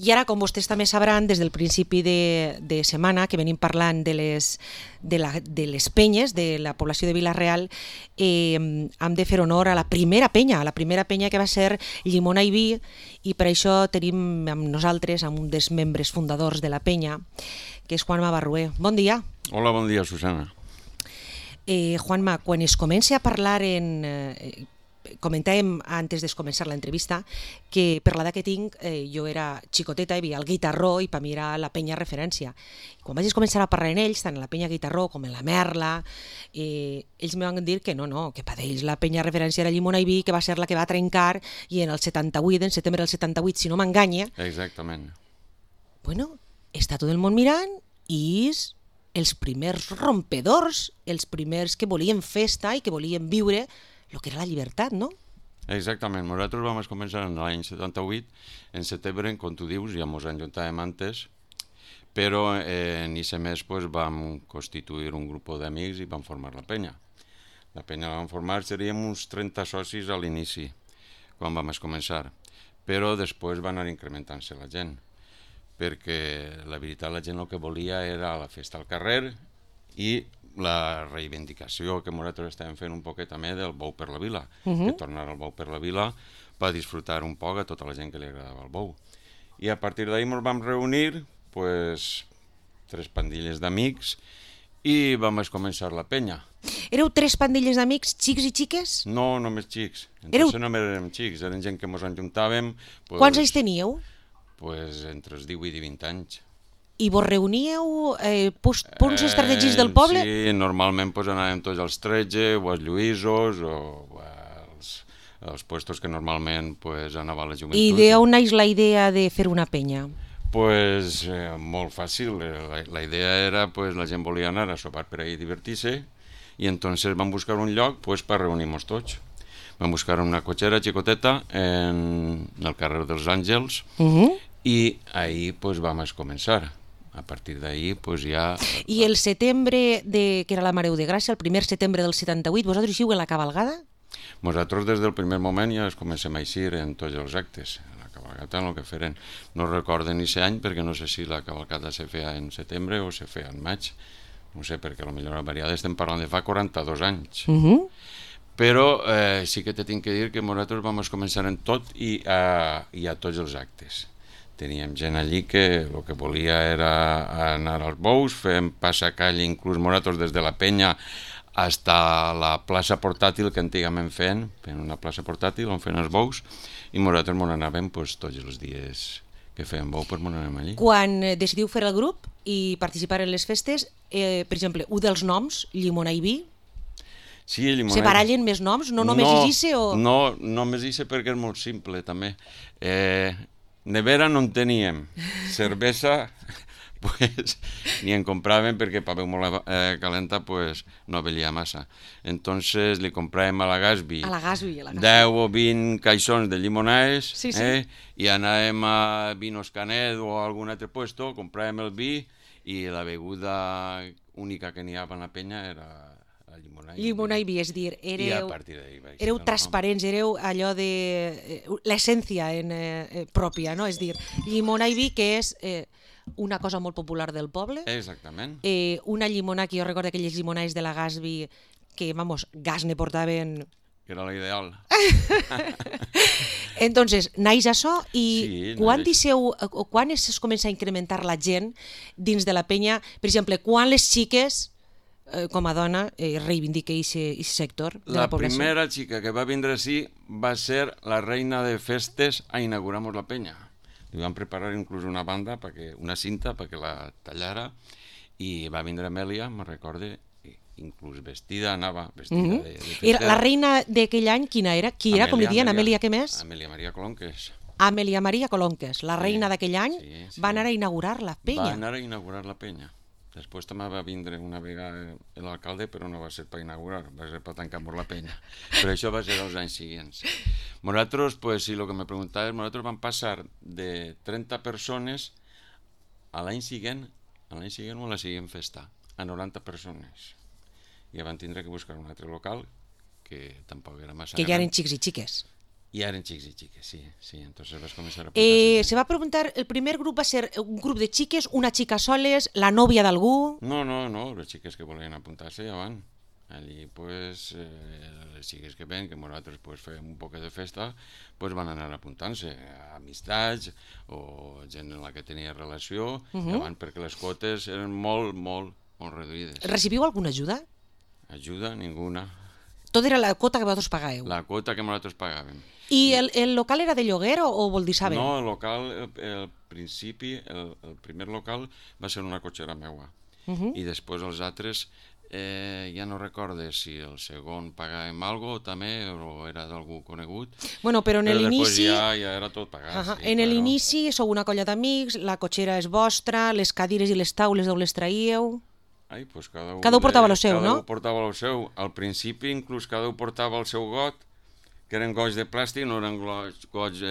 I ara, com vostès també sabran, des del principi de setmana que venim parlant de les penyes de la població de Vila-real, hem de fer honor a la primera penya que va ser Llimona i Vi, i per això tenim amb nosaltres amb un dels membres fundadors de la penya, que és Juanma Barrué. Bon dia. Hola, bon dia, Susana. Juanma, quan es comença a parlar comentàvem antes de començar l'entrevista que per l'edat que tinc jo era xicoteta, hi havia el Guitarró i per mi era la penya referència. Quan vaig començar a parlar en ells, tant en la penya Guitarró com en la Merla, ells me van dir que no, que per ells la penya referència era Llimona i Vi, que va ser la que va trencar, i en el 78, en setembre del 78, si no m'enganya... Exactament. Bueno, està tot el món mirant i els primers rompedors, els primers que volien festa i que volien viure el que era la llibertat, no? Exactament. Nosaltres vam començar en l'any 78, en setembre, com tu dius, ja ens enjuntàvem antes, però en aquest mes vam constituir un grup d'amics i vam formar la penya. La penya la vam formar, seríem uns 30 socis a l'inici, quan vam començar, però després va anar incrementant-se la gent, perquè la veritat la gent el que volia era la festa al carrer i la reivindicació que nosaltres estàvem fent un poquet també del bou per la vila, que tornar el bou per la vila per disfrutar un poc a tota la gent que li agradava el bou. I a partir d'ahir ens vam reunir, tres pandilles d'amics, i vam començar la penya. Éreu tres pandilles d'amics, xics i xiques? No, només xics. Entonces no érem xics, eren gent que ens enjuntàvem. Quants anys teníeu? Entre els 18 i 20 anys. I vos reuníeu punts estratègics del poble? Sí, normalment anàvem tots als 13 o als Lluïsos o als puestos que normalment anava la joventut. I d'on naix la idea de fer una penya? Molt fàcil. La idea era, la gent volia anar a sopar per ahir i divertir-se, i entonces vam buscar un lloc per reunir-nos tots. Vam buscar una cotxera xicoteta en el carrer dels Àngels i ahir vam començar. A partir d'ahir ja... I el setembre, que era la Mareu de Gràcia, el primer setembre del 78, vosaltres hi en la cabalgada? Nosaltres des del primer moment ja comencem a eixir en tots els actes. La cabalgata el que feren. No recordo ni aquest any perquè no sé si la cabalgata se feia en setembre o se feia en maig. No sé, perquè potser la variada estem parlant de fa 42 anys. Però sí que te tinc que dir que nosaltres vam començar en tot i a tots els actes. Teníem gent allí que el que volia era anar als bous, fem passacall inclús nosaltres des de la penya fins a la plaça portàtil que antigament feien una plaça portàtil on feien els bous, i nosaltres anàvem tots els dies que feien bou, anàvem allí. Quan decidiu fer el grup i participar en les festes, per exemple, un dels noms, Llimona i Vi, sí, Llimona... Se barallen més noms? No només Ixe o...? No, només Ixe perquè és molt simple, també. Nevera no en teníem. Cervesa, ni en compràvem perquè per beure molt calenta no velia massa. Entonces li compràvem a la Gasby 10 o 20 caixons de llimonades, i anàvem a Vinos Canet o a algun altre puesto, compràvem el vi i la beguda única que n'hi havia a la penya era Llimona i Vi, és dir, éreu transparents, éreu allò de l'essència pròpia, no? És dir, Llimona i Vi, que és una cosa molt popular del poble. Exactament. Una llimona que jo recordo aquelles llimonades de la Gasby que, gas ne portaven... Que era l'ideal. Entonces, naix això i quan es comença a incrementar la gent dins de la penya? Per exemple, quan les xiques... com a dona, reivindica aquest sector de la població. La primera xica que va vindre així va ser la reina de festes a inaugurar-nos la penya. Li vam preparar inclús una banda, una cinta perquè la tallara, i va vindre Amèlia, me'n recorde, inclús anava vestida de festera. La reina d'aquell any, quina era? Qui era, com li diuen? Amèlia, què més? Amèlia Maria Colonques. Amèlia Maria Colonques, la reina d'aquell any, va anar a inaugurar la penya. Va anar a inaugurar la penya. Després també va vindre una vegada l'alcalde, però no va ser per inaugurar, va ser per tancar-nos la penya. Però això va ser els anys següents. Nosaltres, si el que me preguntaves, nosaltres vam passar de 30 persones a l'any següent o a la següent festa, a 90 persones. I van tindre que buscar un altre local, que tampoc era massa gran. Que ja eren xics i xiques. Y eran chicos y chicas, sí, sí. Entonces vas a comenzar a apuntarse. Se va a preguntar, el primer grup va ser un grup de xiques, una xica soles, la nòvia d'algú... No, los chicos que volien apuntar-se ja van. Allí, pues, les xiques que ven, que nosaltres pues, fem un poc de festa, pues van anar apuntant-se a amistats o gent en la que tenia relació, ja van, perquè les quotes eren molt reduïdes. Recibiu alguna ajuda? Ajuda, ninguna. Tot era la quota que vosaltres pagàveu. La quota que nosaltres pagàvem. I el local era de lloguer o vol dir saber? No, el local, al principi, el primer local va ser una cotxera meua. I després els altres, ja no recorde si el segon pagàvem algo també o era d'algú conegut. Bueno, però en l'inici... Ja era tot pagat. En l'inici sou una colla d'amics, la cotxera és vostra, les cadires i les taules d'on les traíeu... Ai, pues cada un portava el seu, no? Cada un portava el seu. Al principi, inclús, cada un portava el seu got, que eren gots de plàstic, no eren gots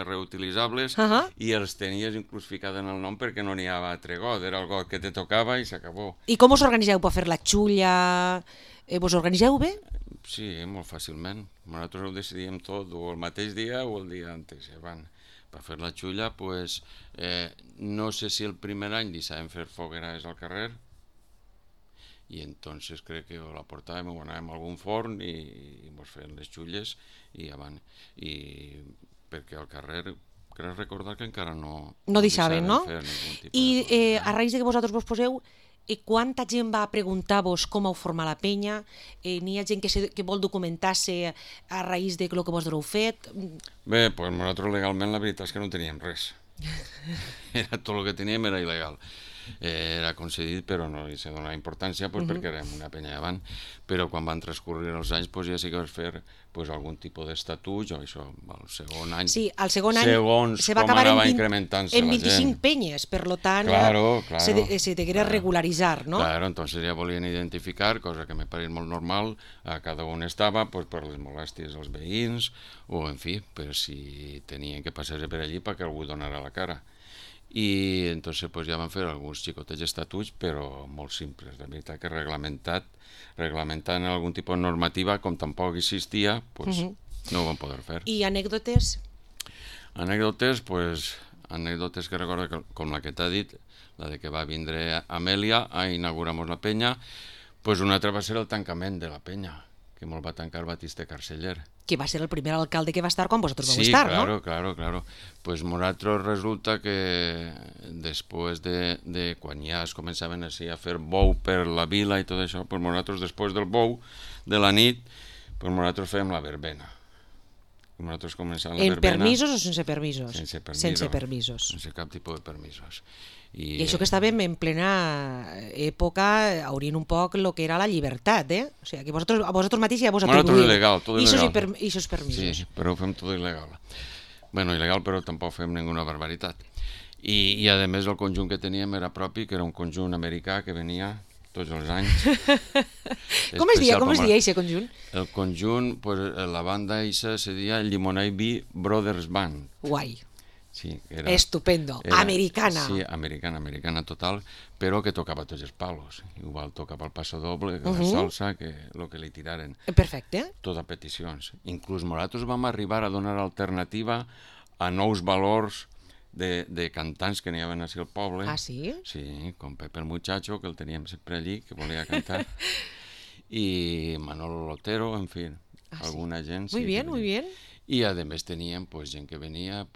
reutilitzables, i els tenies inclús ficat en el nom perquè no n'hi havia altre got, era el got que te tocava i s'acabó. I com us organitzeu per fer la xulla? Vos organitzeu bé? Sí, molt fàcilment. Nosaltres ho decidíem tot, o el mateix dia o el dia antes. Per fer la xulla, pues, no sé si el primer any deixàvem fer fogueres al carrer, i entonces crec que la portàvem o anàvem a algun forn i mos feien les xulles i avant. I perquè al carrer crec recordar que encara no deixaven, no? Fer ningún tipus I de a raïs de que vosaltres vos poseu, quanta gent va a preguntar-vos com heu format la penya? N'hi ha gent que vol documentar-se a raïs de lo que vos heu fet? Bé, doncs nosaltres legalment la veritat és que no teníem res. Tot el que teníem era il·legal. Era concedit però no li se donava importància perquè érem una penya davant, però quan van transcorrir els anys ja sí que vas fer algun tipus d'estatut o això, el segon any sí, el segon any se va acabar en 25 penyes, per tant se deguera regularitzar, no? Claro, entonces ja volien identificar, cosa que me pareix molt normal, a cada un estava per les molèsties dels veïns o en fi, per si tenien que passar per allí perquè algú donara la cara. I entonces ja van fer alguns xicotets estatuts, però molt simples. De veritat que reglamentant algun tipus de normativa, com tampoc existia, no ho van poder fer. I anècdotes? Anècdotes que recordo com la que t'ha dit, la de que va vindre Amèlia a inaugurar-nos la penya, una altra va ser el tancament de la penya, que molt va tancar Batiste Carceller. Que va ser el primer alcalde que va estar quan vosaltres vau estar, no? Sí, claro. Pues nosaltres resulta que després de quan ja es començaven a fer bou per la vila i tot això, pues nosaltres després del bou de la nit, pues nosaltres fèiem la verbena. Nosaltres començàvem la verbena... En permisos o sense permisos? Sense permisos. Sense cap tipus de permisos. I això que estàvem en plena època haurien un poc el que era la llibertat, eh? O sigui, que a vosaltres mateix ja vos atribuïu. Tot il·legal, tot il·legal. I això permisos. Sí, però ho fem tot il·legal. Bueno, il·legal, però tampoc fem ninguna barbaritat. I a més el conjunt que teníem era propi, que era un conjunt americà que venia tots els anys. Com es deia aquest conjunt? El conjunt, la banda eixa se deia Llimonell Bee Brothers Band. Guai. Sí, estupendo, americana. Sí, americana total, però que tocava tots els palos. Igual tocava el passo doble, la salsa, que el que li tiraren. Perfecte. Tot a peticions. Inclús nosaltres vam arribar a donar alternativa a nous valors de cantants que n'hi havia així al poble. Ah, sí? Sí, com Pepe el Muchacho, que el teníem sempre allí, que volia cantar, i Manolo Lotero, en fi, alguna gent. Muy bien, muy bien. I a més teníem gent que venia a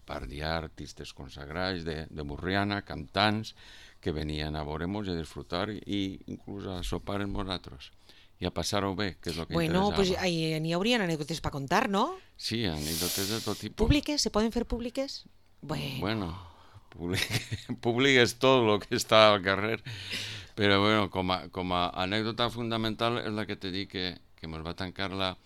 pardiar, artistes consagrats de Burriana, cantants, que venien a veure-nos i a disfrutar i inclús a sopar amb nosaltres i a passar-ho bé, que és el que interessava. Bueno, pues n'hi haurien anècdotes per contar, no? Sí, anècdotes de tot tipus. ¿Públiques? ¿Se poden fer públiques? Bueno, públic és tot el que està al carrer, però bueno, com a anècdota fundamental és la que te dic que ens va tancar la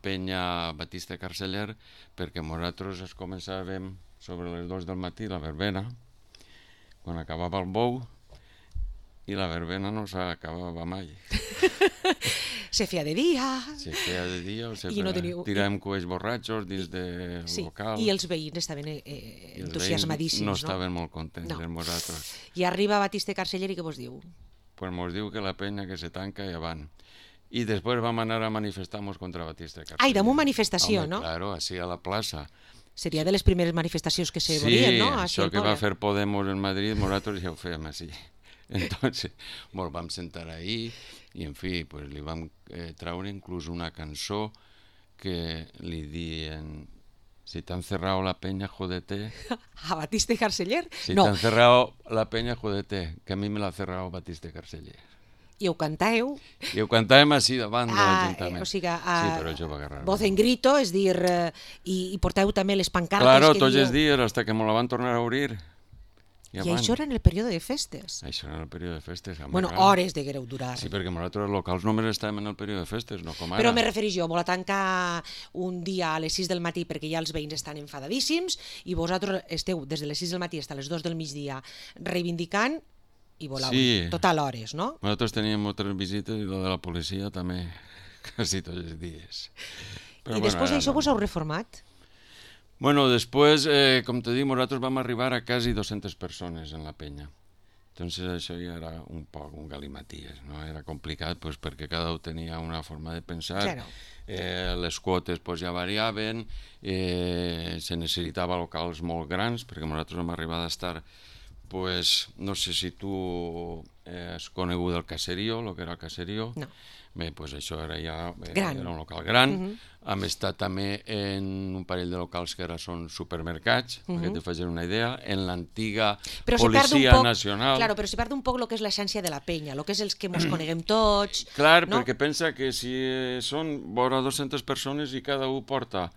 penya Batiste Carceller perquè nosaltres es començàvem sobre les 2 del matí la verbena, quan acabava el bou, i la verbena no s'acabava mai. Se feia de dia. Se feia de dia, tiràvem coets borratxos dins del local. I els veïns estaven entusiasmadíssims, no? No estaven molt contents amb nosaltres. I arriba Batiste Carceller i què vos diu? Pues mos diu que la penya que se tanca i avant. Y después vamos a anar a manifestar-nos contra Batista Carceller. Ai, damunt manifestació, Home, no? Claro, així a la plaça. Seria de les primeres manifestacions que se Sí, volien, no? això que va fer Podemos en Madrid, nosaltres ja ho fèiem així. Entonces, bueno, vam sentar ahí i, en fi, pues, li vam traure inclús una cançó que li diuen: si t'han cerrado la peña, jódete. A Batista i Carceller? Si No, t'han cerrado la peña, jódete, que a mi me l'ha cerrado Batista Carceller. i ho cantàeu. I ho cantàvem així davant de l'Ajuntament. O sigui, Sí, però això va agarrar. voz en grito, és dir, i porteu també les pancartes Claro, que tots els dieu... dies, hasta que me la van tornar a obrir. I això era en el període de festes. Això era el període de festes. Home, Bueno, clar. hores deguereu durar. Sí, perquè nosaltres locals només estàvem en el període de festes, no com ara. Però me refereix jo, vol tancar un dia a les 6 del matí perquè ja els veïns estan enfadadíssims i vosaltres esteu des de les 6 del matí fins a les 2 del migdia reivindicant i voleu Sí. total hores, no? Nosaltres teníem moltes visites i la de la policia també, quasi tots els dies. I després d'això vos heu reformat? Bueno, després, com te dic, nosaltres vam arribar a quasi 200 persones en la penya. Entonces això ja era un poc un galimaties, no? Era complicat pues, perquè cada un tenia una forma de pensar. Claro. Les quotes pues, ja variaven, se necessitava locals molt grans, perquè nosaltres vam arribar a estar, pues, no sé si tu has conegut el Caserío, el que era el Caserío. No. Bé, pues això era ja Gran. era un local gran. Hem estat també en un parell de locals que ara són supermercats, perquè te facis una idea, en l'antiga Policia Nacional. Claro, però se perd un poc el que és l'essència de la penya, el que és els que mos coneguem tots. Clar, no? perquè pensa que si són vora 200 persones i cada un porta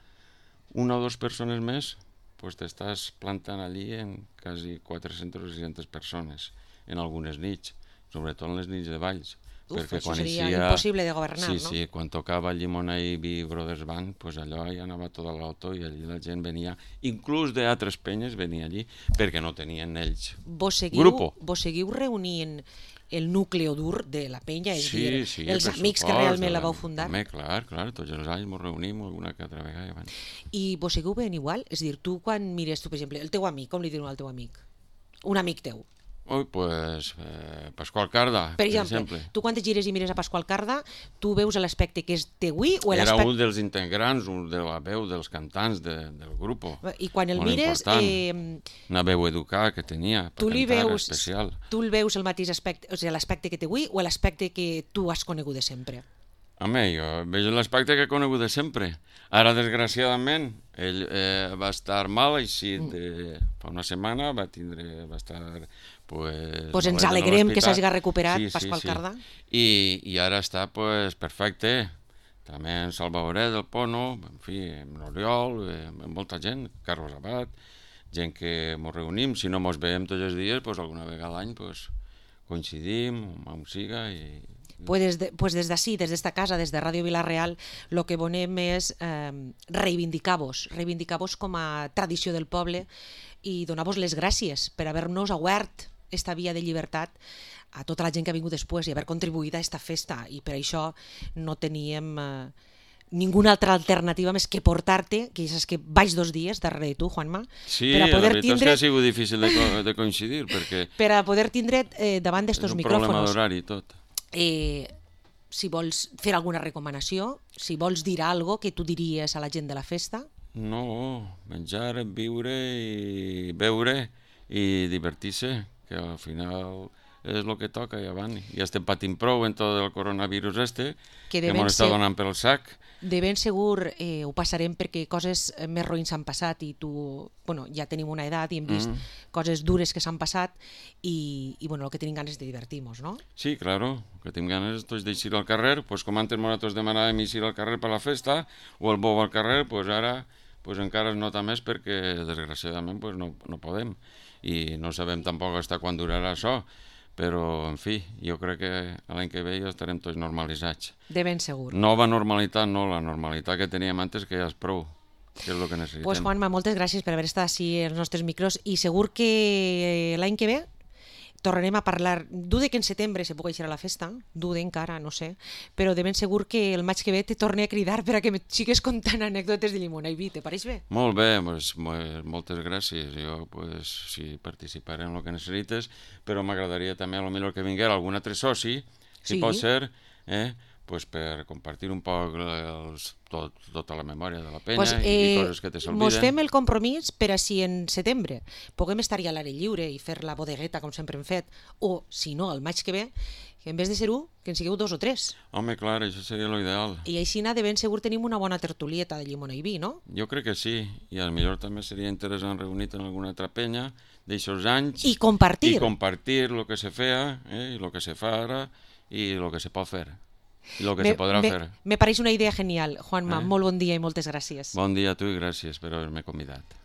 una o dues persones més, pues t'estàs plantant allí en quasi 400 o 600 persones en algunes nits, sobretot en les nits de Valls. Això seria impossible de governar, sí, no? Sí, quan tocava Llimona i Brothers Band, pues allò ja anava tot a l'auto i allí la gent venia, inclús d'altres penyes venia allí, perquè no tenien ells grupo. Vos seguiu reunint el núcleo dur de la penya, és dir, Sí, els amics que realment la vau fundar? Home, clar, tots els anys ens reunim alguna que altra vegada. I vos seguiu ben igual? És dir, tu quan mires, tu, per exemple, el teu amic, com li diuen al teu amic? Un amic teu. Ui, pues, Pasqual Carda, per exemple, tu quan te gires i mires a Pasqual Carda, tu veus l'aspecte que és teüí o era l'aspecte... un dels integrants, un de la veu dels cantants del grup. I quan el mires... Una veu educada que tenia, per cantar, especial. Tu el veus el mateix aspecte, o sigui, l'aspecte que teüí o l'aspecte que tu has conegut de sempre? Home, jo veig l'aspecte que he conegut de sempre. Ara, desgraciadament, ell va estar mal, així fa una setmana, va estar... Pues ens alegrem que s'hagi recuperat, Pasqual Carda. I ara està perfecte. També en Salvadoret, del Pono, en fi, en Oriol, molta gent, Carlos Abad, gent que ens reunim, si no ens veiem tots els dies, alguna vegada a l'any coincidim, on siga i... Pues des d'ací, des d'esta casa, des de Ràdio Vila-real, el que volem és reivindicar-vos com a tradició del poble i donar-vos les gràcies per haver-nos obert esta via de llibertat a tota la gent que ha vingut després i haver contribuït a esta festa, i per això no teníem ninguna altra alternativa més que portar-te, que ja saps que vaig 2 dies darrere de tu, Juanma, sí, per a poder la veritat és que ha sigut difícil de coincidir, perquè... Per a poder tindre davant d'estos micròfons. És un problema d'horari tot. Si vols fer alguna recomanació, si vols dir alguna cosa que tu diries a la gent de la festa. No, menjar, viure i beure i divertir-se, que al final és el que toca i avant. Ja estem patint prou en tot el coronavirus que ens està donant pel sac. De ben segur ho passarem perquè coses més roïns s'han passat i tu, bueno, ja tenim una edat i hem vist coses dures que s'han passat i bueno, el que tenim ganes de divertir-nos, no? Sí, claro, que tenim ganes tots d'eixir al carrer, pues com antes nosaltres demanàvem eixir al carrer per la festa o el bou al carrer, pues ara encara es nota més perquè desgraciadament no podem i no sabem tampoc fins quan durarà això. Però, en fi, jo crec que l'any que ve ja estarem tots normalitzats. De ben segur. Nova normalitat, no, la normalitat que teníem antes, que ja és prou, que és el que necessitem. Pues Juanma, moltes gràcies per haver estat així als nostres micros i segur que l'any que ve tornarem a parlar. Dude que en setembre se pugui eixir a la festa, dude encara, no sé, però de ben segur que el maig que ve te torne a cridar per a que me sigues contant anècdotes de Llimona i Vi, te pareix bé? Molt bé, moltes gràcies. Jo sí, participaré en el que necessites, però m'agradaria també a lo millor que vinguera algun altre soci, si pot ser, pues, per compartir un poc tota la memòria de la penya Pues, i coses que te s'olviden. mos fem el compromís per a si en setembre puguem estar ja a l'aire lliure i fer la bodegueta com sempre hem fet, o si no, el maig que ve, que en vez de ser un, que en sigueu 2 o 3. Home, clar, això seria l'ideal. I així de ben segur tenim una bona tertulieta de llimona i vi, no? Jo crec que sí, i potser també seria interessant reunir-te en alguna altra penya d'aixòs anys I compartir. i compartir el que se feia i el que se fa ara i el que se pot fer i el que se podrà fer. Me pareix una idea genial. Juanma, molt bon dia i moltes gràcies. Bon dia a tu i gràcies per haver-me convidat.